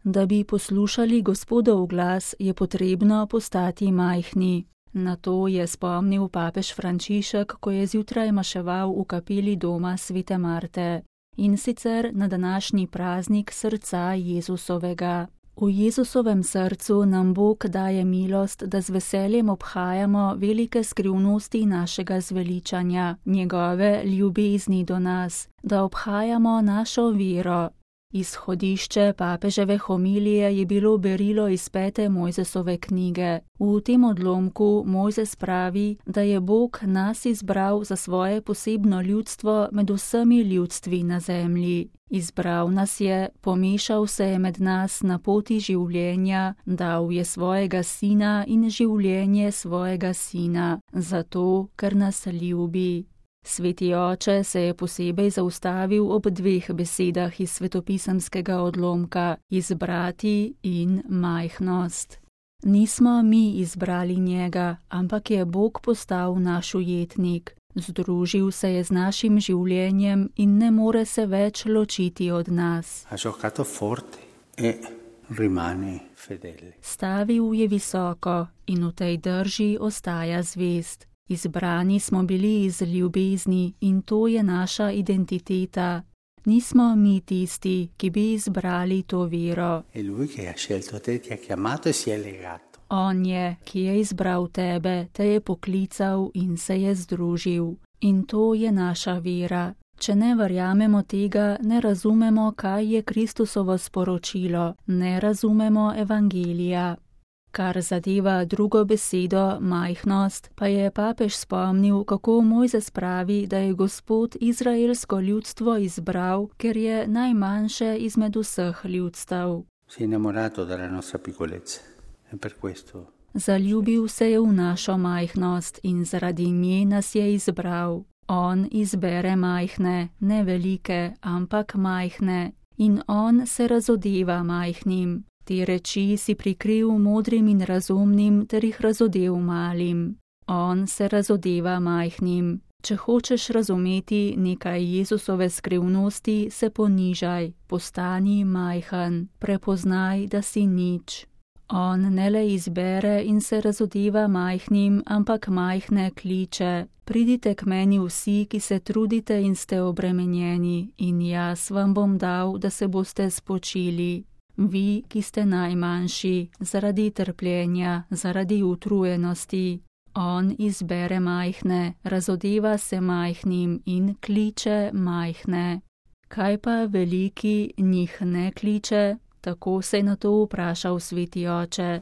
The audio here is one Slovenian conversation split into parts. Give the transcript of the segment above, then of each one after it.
Da bi poslušali Gospodov glas, je potrebno postati majhni. Na to je spomnil papež Frančišek, ko je zjutraj maševal v kapeli doma Svete Marte. In sicer na današnji praznik srca Jezusovega. V Jezusovem srcu nam Bog daje milost, da z veseljem obhajamo velike skrivnosti našega zveličanja, njegove ljubezni do nas, da obhajamo našo vero. Izhodišče papeževe homilije je bilo berilo iz 5. Mojzesove knjige. V tem odlomku Mojzes pravi, da je Bog nas izbral za svoje posebno ljudstvo med vsemi ljudstvi na zemlji. Izbral nas je, pomešal se je med nas na poti življenja, dal je svojega sina in življenje svojega sina, zato, ker nas ljubi. Sveti oče se je posebej zaustavil ob 2 besedah iz svetopisemskega odlomka: izbrati in majhnost. Nismo mi izbrali njega, ampak je Bog postal naš ujetnik. Združil se je z našim življenjem in ne more se več ločiti od nas. Stavil je visoko in v tej drži ostaja zvest. Izbrani smo bili iz ljubezni in to je naša identiteta. Nismo mi tisti, ki bi izbrali to vero. On je, ki je izbral tebe, te je poklical in se je združil. In to je naša vera. Če ne verjamemo tega, ne razumemo, kaj je Kristusovo sporočilo, ne razumemo evangelija. Kar zadeva drugo besedo, majhnost, pa je papež spomnil, kako Mojzes pravi, da je Gospod izraelsko ljudstvo izbral, ker je najmanjše izmed vseh ljudstev. Zaljubil se je v našo majhnost in zaradi nje nas je izbral. On izbere majhne, ne velike, ampak majhne. In on se razodeva majhnim. Te reči si prikril modrim in razumnim, ter jih razodev malim. On se razodeva majhnim. Če hočeš razumeti nekaj Jezusove skrivnosti, se ponižaj, postani majhen, prepoznaj, da si nič. On ne le izbere in se razodeva majhnim, ampak majhne kliče. Pridite k meni vsi, ki se trudite in ste obremenjeni, in jaz vam bom dal, da se boste spočili. Vi, ki ste najmanjši, zaradi trpljenja, zaradi utrujenosti. On izbere majhne, razodeva se majhnim in kliče majhne. Kaj pa veliki njih ne kliče? Tako se je na to vprašal sveti oče.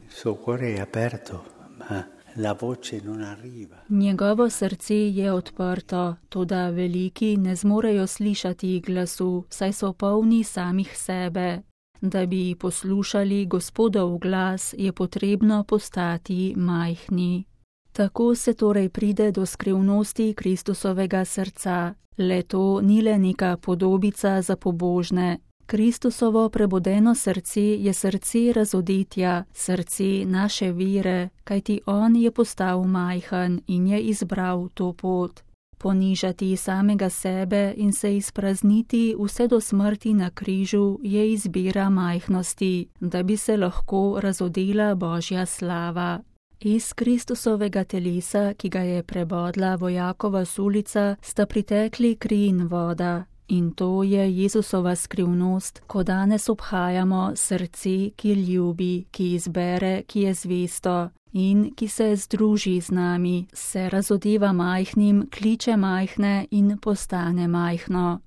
Njegovo srce je odprto, toda veliki ne zmorejo slišati glasu, saj so polni samih sebe. Da bi poslušali Gospodov glas, je potrebno postati majhni. Tako se torej pride do skrivnosti Kristusovega srca. Le to ni le neka podobica za pobožne. Kristusovo prebudeno srce je srce razodetja, srce naše vere, kajti on je postal majhen in je izbral to pot. Ponižati samega sebe in se izprazniti vse do smrti na križu je izbira majhnosti, da bi se lahko razodela Božja slava. Iz Kristusovega telesa, ki ga je prebodla vojakova sulica, sta pritekli kri in voda. In to je Jezusova skrivnost, ko danes obhajamo srce, ki ljubi, ki izbere, ki je zvesto in ki se združi z nami, se razodeva majhnim, kliče majhne in postane majhno.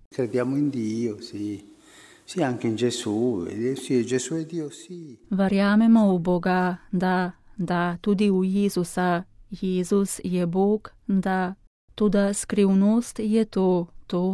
Verjamemo v Boga, da, tudi v Jezusa. Jezus je Bog, da. Toda skrivnost je to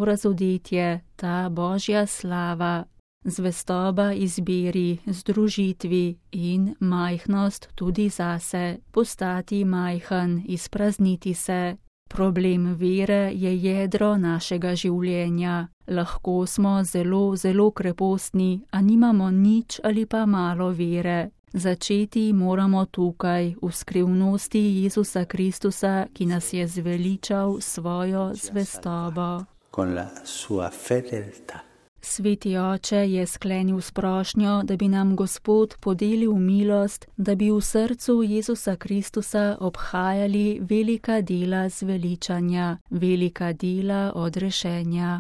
razodetje, ta Božja slava. Zvestoba izbiri, združitvi in majhnost tudi zase, postati majhen, izprazniti se. Problem vere je jedro našega življenja. Lahko smo zelo, zelo krepostni, a nimamo nič ali pa malo vere. Začeti moramo tukaj, v skrivnosti Jezusa Kristusa, ki nas je zveličal svojo zvestobo. Sveti oče je sklenil s prošnjo, da bi nam Gospod podelil milost, da bi v srcu Jezusa Kristusa obhajali velika dela zveličanja, velika dela odrešenja.